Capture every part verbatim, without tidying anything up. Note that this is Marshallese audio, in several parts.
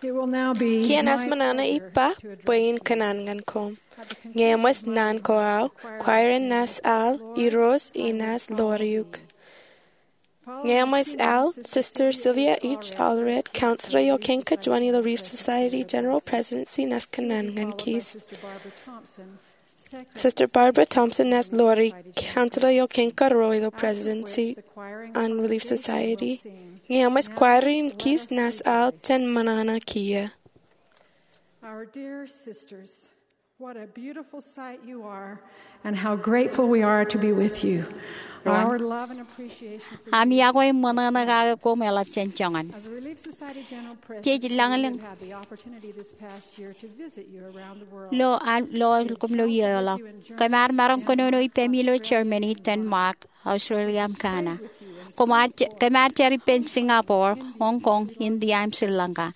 Kien ej ṃōṇōṇō ippa bwe in kōṇaan ñan koṃ. Ñe eṃōj naan ko aō, kwaer in naaj al, irooj in naaj ḷoor eok. Ñe eṃōj al, Sister Sylvia H. Allred, counselor eo kein kōjuon ilo Relief Society General Presidency, naaj kōṇaan ñan kōj. Sister Barbara Thompson naaj ḷoor eok, counselor eo kein karuo ilo Presidency an Relief Society. Ñe eṃōj, kwaer in kōj naaj al jān ṃōṇōṇō kiiō. Our dear sisters, what a beautiful sight you are, and how grateful we are to be with you. Our love and appreciation for you. Ami iọkwe im ṃōṇōṇō kake koṃ eḷap jān joñan. As a Relief Society General President, jej lañlōñ. We have had the opportunity this past year to visit you around the world. Ilo, a, ilo koṃ ilo iiō ḷọk. Kōm ar maroñ kōnono ippemi ilo Germany, Denmark, Australia im Ghana. Kōm ar je-, kōm ar jar ippān Singapore, Hong Kong, India im Sri Lanka.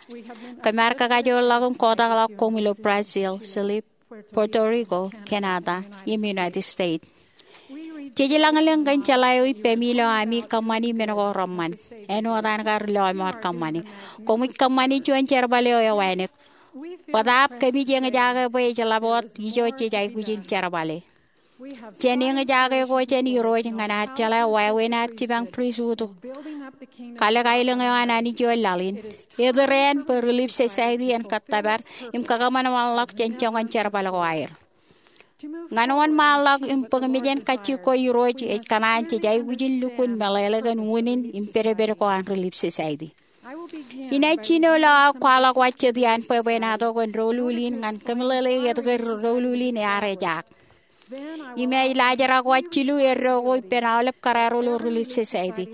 Kōm ar kakajoorḷọk im kotakḷọk koṃ ilo Brazil, Chile, Puerto Rico, Canada, im United States. Jej lañlōñ kōn jeḷā eo ippemi ilo ami kōṃṃani men ko reṃṃan. Āinwōt an kar ri lọmọọr kōṃṃani. Koṃij kōṃṃani juon jerbal eo ewānōk. Bōtaab kōmij eñjake bwe ej ḷap wōt ijo jej aikuj in jerbale. Jān eñjake ko jān Irooj ñan ad jeḷā wāween ad jipañ pristut kalōk aelōñ eo an Anij ioon laḷ in, etōr ān bwe Relief Society en kōttōpar im kakōṃanṃanḷọk jān joñan jerbal ko aer. Ñan wōnṃaanḷọk im bōk mejān kajjik ko Irooj ej kōṇaan jej aikuj in lukkuun meḷeḷe kōn unin im pedped ko an Relief Society. Inaaj jino ilo aō kwaḷọk wōt jet iaan bwebwenato kōn doulul in ñan kōmeḷeḷeik etke doulul in ear ejaak. Im inaaj laajrak wōt jilu eddo ko ippān aolep kōrā ro ilo Relief Society.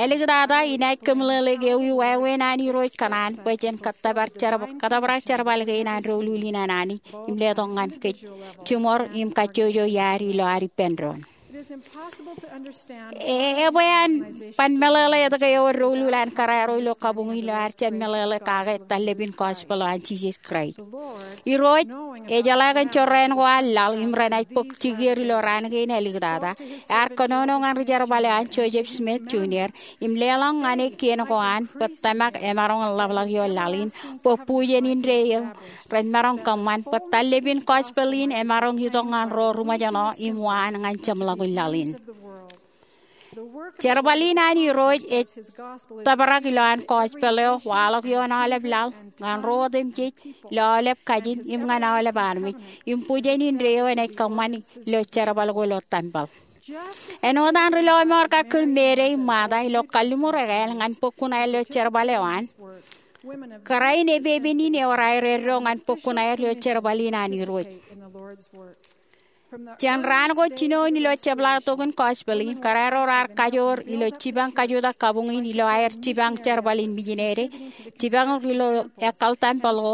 Āliktata, inaaj kōmeḷeḷeik ewi wāween an Irooj kōṇaan bwe jen kōttōpar jer-, kōttōprak jerbal kein an doulul in an Anij im letok ñan kōj jiṃor im kajjojo iaad ilo ad ippān doon. E, ebwe an ban meḷeḷe etke ewōr doulul an kōrā ro ilo kabuñ in ilo ad jab meḷeḷe kake tallepin gospel eo an Jisōs Kraist. Irooj, ejeḷā kōn jorrāān ko an laḷ im renaaj bōk jikier ilo raan kein āliktata, ear kōnono ñan ri jerbal eo an Joseph Smith Junior im leḷọk ñan e kien ko an bwe tōmak emaroñ in ḷapḷọk ioon laḷ in bwe bujen indeeo ren maroñ kōṃṃan bwe tallepin gospel in emaroñ itok ñan ro ri ṃōjṇọ im waan ñan jeṃḷọkin laḷ in. Jerbal in an Irooj ej tōprak ilowaan gospel eo waḷọk ioon aolep laḷ ñan ro otemjej ilo aolep kajin im ñan aolep armej im bujen indeeo enaaj kōṃṃan ilo jerbal ko ilo tempel. Āinwōt an ri lọmọọr kar kūr Mary im Martha ilo kalliṃur ekāāl ñan bōk kuṇaer ilo jerbal eo an, kōrā in epepen in ewōr aer eddo ñan bōk kuṇaer ilo jerbal in an Irooj. Jān raan ko jinoin ilo jepḷaaktok in gospel in, kōrā ro raar kajoor ilo jipañ kajutak kabuñ in ilo aer jipañ jerbal in mijinede, jipañ ilo ekkal tempel ko,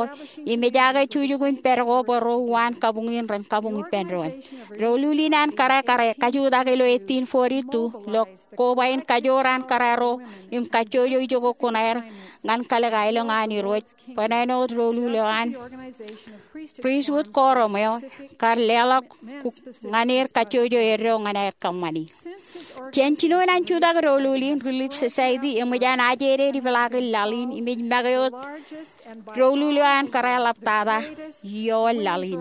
im ejaake jukjuk in pād ko bwe ro uwaan kabuñ in ren kabuñ ippān doon. Doulul in an kōrā kar kajutak ilo eighteen forty-two ilo koba in kajoor an kōrā ro im kajjojo ijoko kuṇaer ñan kalōk aelōñ an Irooj bwe āinwōt doulul eo an pristut korom eo kar leḷọk ñan er kajjojo eddo ñan aer kōṃṃani. Jān jinoin an jutak doulul in, Relief Society eṃōj an ajeded ipeḷaakin laḷ in im ej make wōt doulul eo an kōrā eḷaptata ioon laḷ in.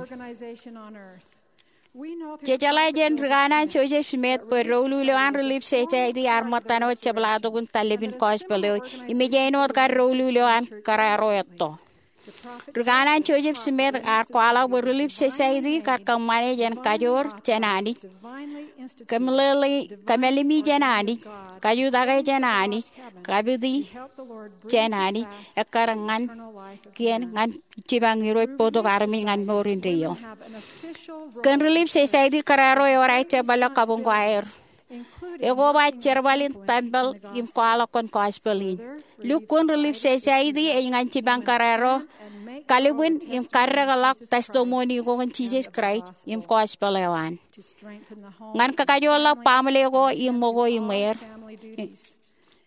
Jej jeḷā jān ri kanaan Joseph Smith bwe doulul eo an Relief Society ear ṃōttan wōt jepḷaaktok in tallepin gospel eo im ej āinwōt kar doulul eo an kōrā ro etto. Ri kanaan Joseph Smith ear kwaḷọk bwe Relief Society kar kōṃṃane jān kajoor jān Anij, kōmeḷeḷe, kōmālemi jān Anij, kajutake jān Anij, kapiti jān Anij, ekkar ñan kien ñan jipañ Irooj bōktok armej ñan mour indeeo. Kōn Relief Society kōrā ro ewōr aer jerbal ilo kabuñ ko aer. Ekoba jerbal in tempel im kwaḷọk kōn gospel in. Lukkuun Relief Society ej ñan jipañ kōrā ro kalibwin im kaddekḷọk testimony ko kōn Jisōs Kraist im gospel eo an. Ñan kakajoorḷọk baaṃle ko im ṃōko im er.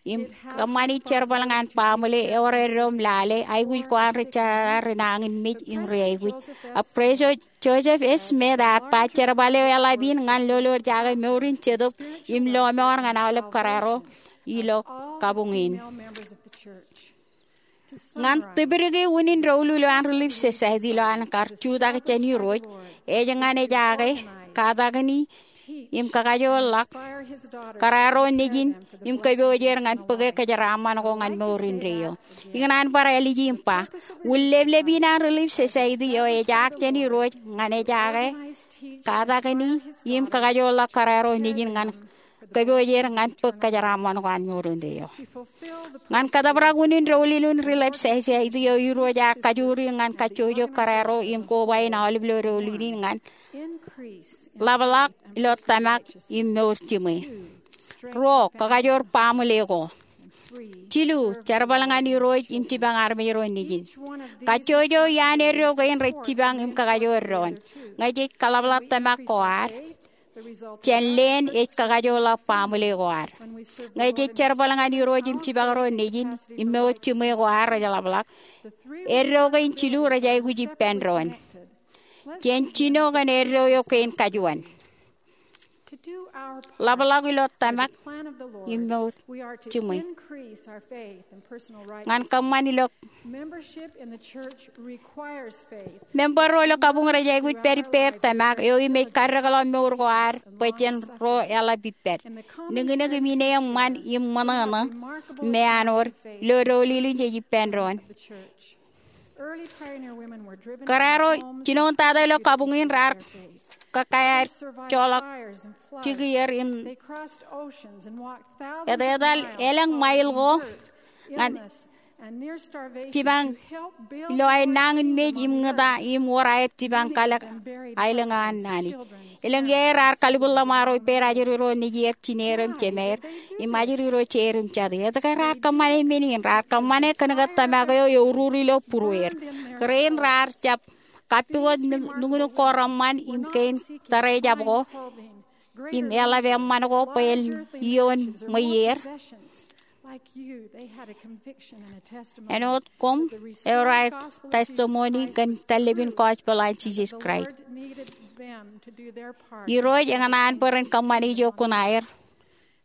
Im kōṃṃani jerbal ñan baaṃle, ewōr eddo im lale, aikuj ko an ri jeḷā, ri nañinmej im ri aikuj. Ak President Joseph Smith ear ba jerbal eo eḷap in ñan lolorjake mour in jetōb im lọmọọr ñan aolep kōrā ro ilo kabuñ in. Ñan tipdiki unin doulul eo an Relief Society ilo an kar jutak jān Irooj, ej ñan ejaake, katakini, im kakajoorḷọk kōrā ro nejin im kōpooje er ñan bōke kōjeraaṃṃan ko ñan mour indeeo. Ikōṇaan bar āliji im ba, ullāplāp in an Relief Society eo ejaak jān Irooj ñan ejaake, katakini, im kakajoorḷọk kōrā ro nejin ñan kōpooje er ñan bōk kōjeraaṃṃan ko an mour indeeo. Ñan kōtōprak unin doulul in Relief Society eo, Irooj ear kajjojo ñan kajjojo kōrā ro im koba in aolep ilo doulul in ñan ḷapḷọk ilo tōmak im mour jiṃwe. Ruo, kakajoor baaṃle ko. Jilu, jerbal ñan Irooj im jipañ armej ro nejin. Kajjojo iaan eddo kein rej jipañ im kakajoor doon. Ñe jej kōḷapḷọk tōmak ko ad, jān leen ej kakajoorḷọk baaṃle ko ad. Ñe jej jerbal ñan Irooj im jipañ ro nejin im mour jiṃwe ko ad rej ḷapḷọk, eddo kein jilu rej aikuj ippān doon. Jen jino kōn eddo eo kein kajuon. Ḷapḷọk ilo tōmak im mour jiṃwe. Ñan kōṃṃan ilo member ro ilo kabuñ rej aikuj pād ippāer tōmak eo im ej kaddekḷọk mour ko ad bwe jen ro eḷap ippād. Nuknuk im ine eṃṃan im ṃōṇōṇō im āinwōt ilo doulul in jej ippān doon. Kōrā ro jinoin tata ilo kabuñ in raar kōkāājoḷọk jikier im etetal elōñ ṃail ko ñan jipañ ilo aer nañinmej im ñūta im wōr aer jipañ kalōk aelōñ eo an Anij. Elōñ iiō raar kalbuḷḷọk ṃaroñ ippāer ajri ro nejier, jineer im jemeer, im ajri ro jeer im jatū. Etke raar kōṃṃane men in? Raar kōṃṃane kōnke tōmak eo euruur ilo būrueer. Kōrā in raar jab kappukot nuknuk ko reṃṃan im kein tōrejab ko im eḷap eṃṃan ko bwe en iioon ṃweier. Āinwōt koṃ, eor aer testimony kōn tōllōpin gospel an Jisōs Kraist. Irooj ekōṇaan bwe ren kōṃṃane ijo kuṇaer.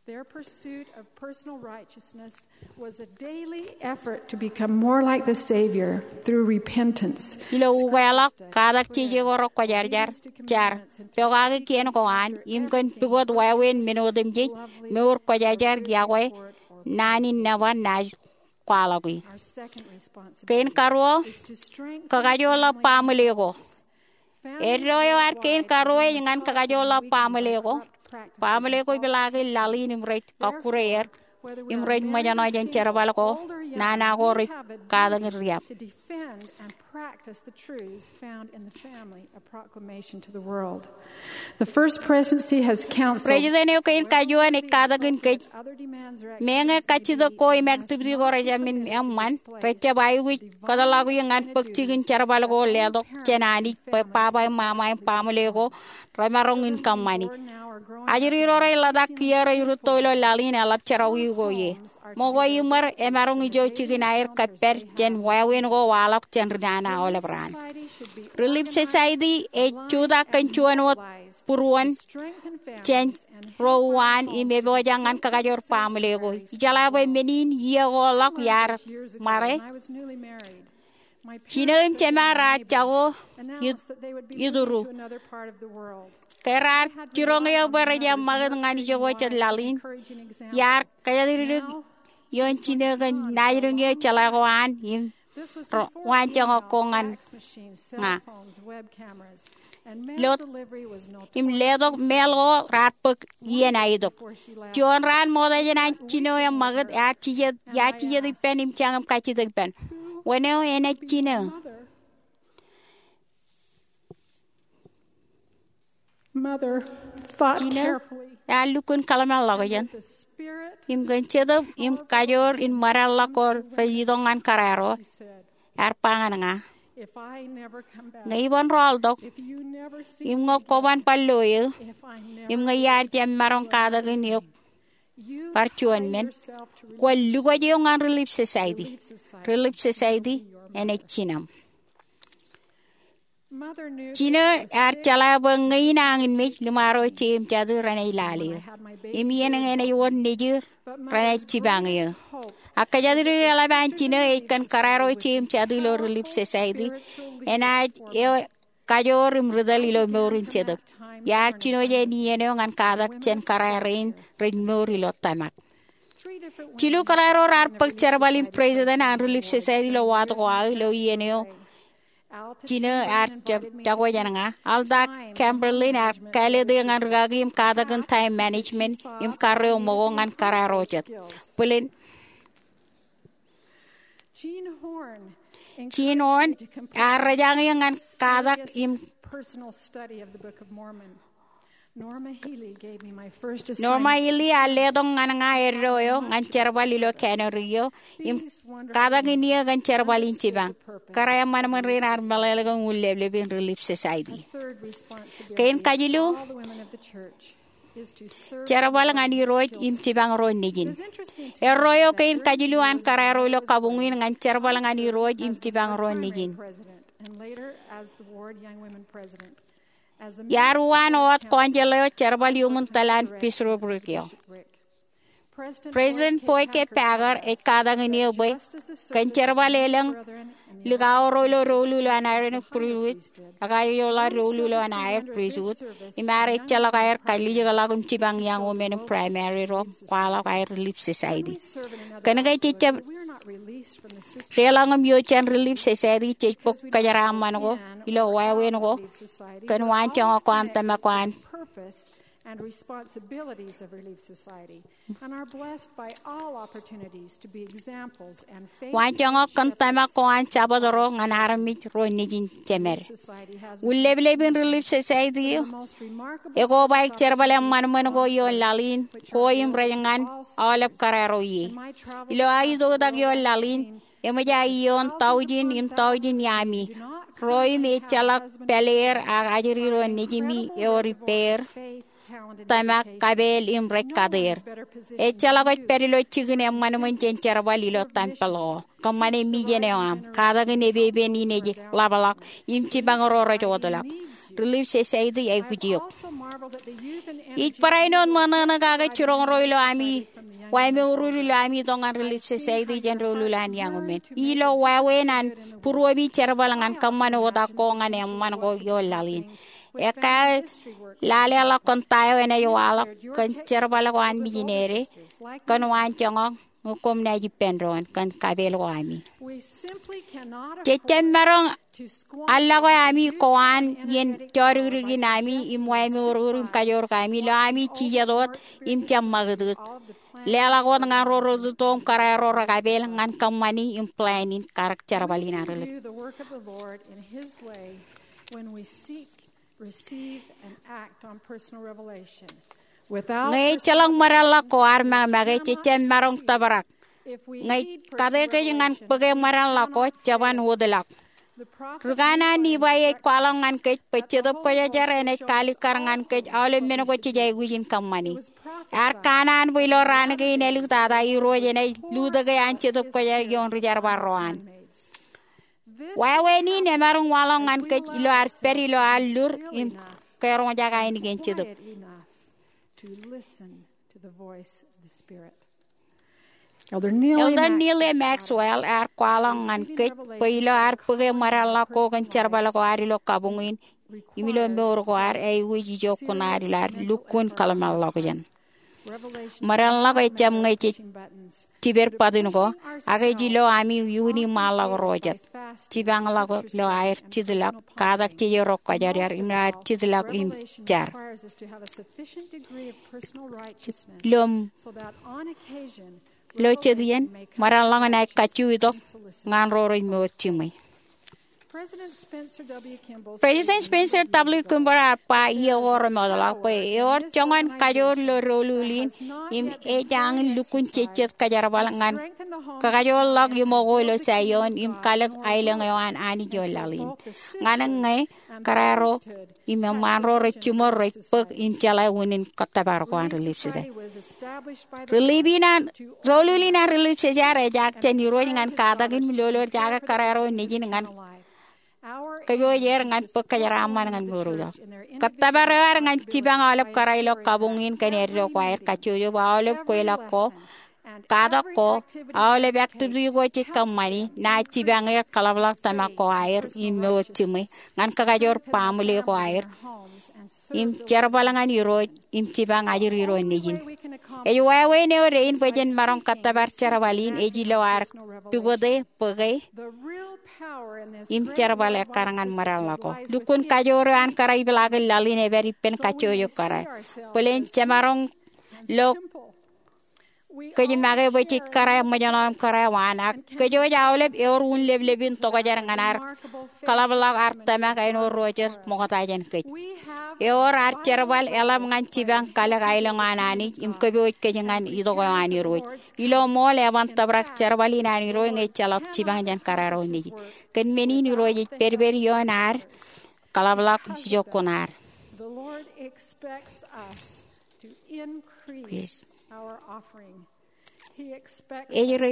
Their pursuit of personal righteousness was a daily effort to become more like the Savior through repentance. Ilo ukeḷọk, katak jeje ko rekwōjarjar, jar, pokake kien ko an, im kōn pukot wāween men otemjej, mour kwōjarjar iọkwe naan in nōbar naaj kwaḷọki. Kein karuo, kakajoorḷọk baaṃle ko. Eddo eo ad kein karuo ej ñan kakajoorḷọk baaṃle ko. Baaṃle ko ipeḷaaki laḷ in im rej kọkkure er im rej ṃōjṇọ jān jerbal ko, nana ko rej katakin riab. Practice the truths found in the family, a proclamation to the world. The First Presidency has counseled. President eo kein kajuon ej katakin kōj, meñe kajjitōk ko im activity ko rejāmin eṃṃan, rejjab aikuj kōtḷọk eō ñan bōk jikin jerbal ko letok jān Anij bwe baba im mama im baaṃle ko remaroñ in kōṃṃani. Ajri ro rej ḷotak kiiō rej rūtto ilo laḷ in eḷap jerọwiwi ko ie. Ṃokwe iṃōd emaroñ ijo jikin aer kōppād jān wāween ko waḷọk jān ri nana aolep raan. Relief Society ej jutak kōn juon wōt būruon jān ro uwaan im epojak ñan kakajoor baaṃle ko. Ijeḷā bwe men in iiō ko ḷọk iar ṃare, jino im jema raar jako itūru. Ke raar jiroñ eō bwe rej jab ṃakūt ñan ijoko jet laḷ in, iar kōjatdikdik ioon jino kōn naajdik eo jeḷā ko an im ro waanjoñak ko ñan ña. Ilo im letok mail ko raar bōk iien aetok. Juon raan ṃokta jān an jino eṃṃakūt, ear jijet, ear jijet ippān im jañin kajjitōk ippān. Wōn eo enaaj jino? Jino ear lukkuun kōḷmānḷọkjeṇ im kōn jetōb im kajoor in ṃōdadḷọk ko rej itok ñan kōrā ro, ear ba ñan ña, ñe iban rọọltok, im ñe kwōban bar lo eō, im ñe iar jab maroñ katakin eok bar juon men, kwōn lukwōj eok ñan Relief Society. Relief Society enaaj jinoṃ. Jino ear jeḷā bwe ñe in nañinmej, liṃaro je im jatū renaaj lale eō. Im iien ñe enaaj wōr nejier, renaaj jipañ eō. Ak kōjatdikdik eḷap an jino ej kōn kōrā ro ije im jatū ilo Relief Society, enaaj eo kajoor im ri tōl ilo mour in jetōb. Iar jino jān iien eo ñan katak jān kōrā rein rej mour ilo tōmak. Jilu kōrā ro raar bōk jerbal in president an Relief Society ilo wōt ko aō ilo iien eo jino ear jako jān ña. Alta Kamperlin ear kāālōt eō ñan rikaki im katakin time management im karreo ṃōko ñan kōrā ro jet. Bōlen Jean Horn ear rejañe ñan katak im Norma Healy ear letok ñan ña eddo eo ñan jerbal ilo cannery eo im katakin eō kōn jerbal in jipañ. Kōrā eṃṃanṃan rein ear meḷeḷe kōn ullōpḷọk in Relief Society. Kein kajilu, jerbal ñan Irooj im jipañ ro nejin. Erro eo kein kajilu an kōrā ro ilo kabuñ in ñan jerbal ñan Irooj im jipañ ro nejin. Iar uwaan wōt kọnjeḷ eo jerbal iuṃwin tōl an bisoprik eo. President Boyd K. Packer ej katakin eō bwe kōn jerbal elōñ likao ro ilo doulul eo an Aaronic Priesthood, ak aolep doulul eo an aer priesthood, im ear ejjeḷọk aer kalijekḷọk im jipañ young women in primary ro kwaḷọk aer Relief Society. Kōnke jej jab deḷọñ im ioon jān Relief Society, jej bōk kōjeraaṃṃan ko ilo wāween ko kōn waanjoñak ko an tōmak ko an and responsibilities of Relief Society, and are blessed by all opportunities to be examples and faith. Waanjoñak kōn tōmak ko an Jabōt ro ñan armej ro nejin jemed. Ullōpḷọk in Relief Society eo ekobaik jerbal eṃṃanṃan ko ioon laḷ in ko im rej ñan aolep kōrā ro ie. Ilo aō itoitak ioon laḷ in, eṃōj aō ioon taujin im taujin iaami ro im ejjeḷọk pāleer ak ajri ro nejimi ewōr ippāer tōmak kapeel im rej kateer. Ejjeḷọk ej pād ilo jikin eṃṃanṃan jān jerbal ilo tempel ko. Kōṃṃane mijen eo aṃ, katakin epepen in ej ḷapḷọk im jipañ ro rej wōtlọk. Relief Society aikuj eok. Ij barāinwōt ṃōṇōṇō kake jiroñ ro ilo ami wāween ro ilo ami itok ñan Relief Society jān doulul an young women. Ilo wāween an būruemi jerbal ñan kōṃṃan oktak ko ñan eṃṃan ko ioon laḷ in. Ekkā lale ḷọk kōn ta eo enaaj waḷọk kōn jerbal ko an mijinere kōn waanjoñak ñe koṃ naaj ippān doon kōn kapeel ko ami. Jej jab maroñ allọk ami ko an iien jodikdik in ami im wāween ro im kajoor ko ami ilo ami jijet wōt im jab ṃakūtkūt. Leḷọk wōt ñan ro rej itok im kōrā ro rekapeel ñan kōṃṃani im plan in karōk jerbal in an Relief. Receive and act on personal revelation. Ñe ejjeḷọk ṃōdeḷḷọk ko ad make, jej jab maroñ tōprak. Ñe kate kōj ñan bōke ṃōdeḷḷọk ko, jeban wōtlọk. Rūkanaan Nifai ej kwaḷọk ñan kōj bwe Jetōb Kwōjarjar enaaj kaalikkar ñan kōj aolep men ko jej aikuj in kōṃṃani. Ear kanaan bwe ilo raan kein āliktata Irooj enaaj lutōke an Jetōb Kwōjarjar ioon ri jerbal ro an. Wāween in emaroñ waḷọk ñan kōj ilo ad pād ilo ad lur im keroñjake ainikien Jetōb. Elder Neal A. Maxwell ear kwaḷọk ñan kōj bwe ilo ad bōke ṃōdeḷḷọk ko kōn jerbal ko ad ilo kabuñ in im ilo mour ko ad, aikuj ijo kuṇaad ilo ad lukkuun kōḷmānḷọkjeṇ. Ṃōdeḷḷọk ejjab ñe jej jiped button ko, ak ej ilo ami iuuni ṃaanḷọk ro jet. Jipañḷọk ilo aer jitḷọk, katak jeje ro kwōjarjar im aer jitḷọk im jar. Ilo, ilo jet iien, ṃōdeḷḷọk enaaj kajju itok ñan ro rej mour jiṃwe. President Spencer W. Kimball ear ba iiō ko remootḷọk bwe ewōr joñan kajoor ilo doulul in im ej añin lukkuun jejjet kōjerbal ñan kakajoorḷọk iṃō ko ilo Saion im kalōk aelōñ eo an Anij ioon laḷ in. Ñan ñe kōrā ro im eṃṃaan ro rej jiṃor rej bōk im jeḷā unin kōttōpar ko an Relief Society. Relief in an, doulul in an Relief Society ejaak jān Irooj ñan katak im lolorjake kōrā ro nejin ñan kōpooj er ñan bōk kōjeraaṃṃan ñan mour eo. Kōttōpar eo ad ñan jipañ aolep kōrā ilo kabuñ in kōn eddo ko aer kajjojo bwe aolep kweilọk ko Katak ko, aolep activity ko jej kōṃṃani, naaj jipañ er kaḷapḷọk tōmak ko aer im mour jiṃwe ñan kakajoor baaṃle ko aer im jerbal ñan Irooj im jipañ ajri ro nejin. Ej wāween eo dein bwe jen maroñ kōttōpar jerbal in ej ilo ad pukot e bōke im jerbal ekkar ñan ṃōdeḷ ṇe ko. Lukkuun kajoor eo an kōrā ipeḷaakin laḷ in ej pād ippān kajjojo kōrā. Bōlen jemaroñ lo kōj make bwe jej kōrā ṃōjṇọ im kōrā waan, ak kōj wōj aolep ewōr un leplepin tokjān ñan ad kaḷapḷọk ad tōmak āinwōt ro rej ṃokta jān kōj. Ewōr ad jerbal eḷap ñan jipañ kalōk aelōñ an Anij im kōpooj kōj ñan itok eo an Irooj. Ilo ṃool eban tōprak jerbal in an Irooj ñe ejjeḷọk jipañ jān kōrā ro nejin. Kōn men in Irooj ej pedped ioon ad kaḷapḷọk ijokkun ad. Ej ri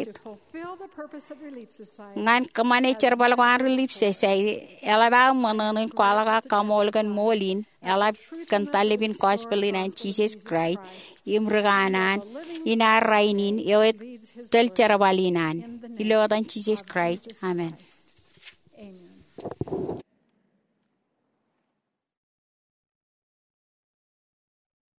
ñan kōṃṃane jerbal ko an Relief Society, eḷap aō ṃōṇōṇō in kwaḷọk aō kaṃool kōn ṃool in, eḷap kōn tallib in gospel in an Jisōs Kraist im rikanaan in ad rainin eo ej tōl jerbal in an. Ilo etan Jisōs Kraist, amen.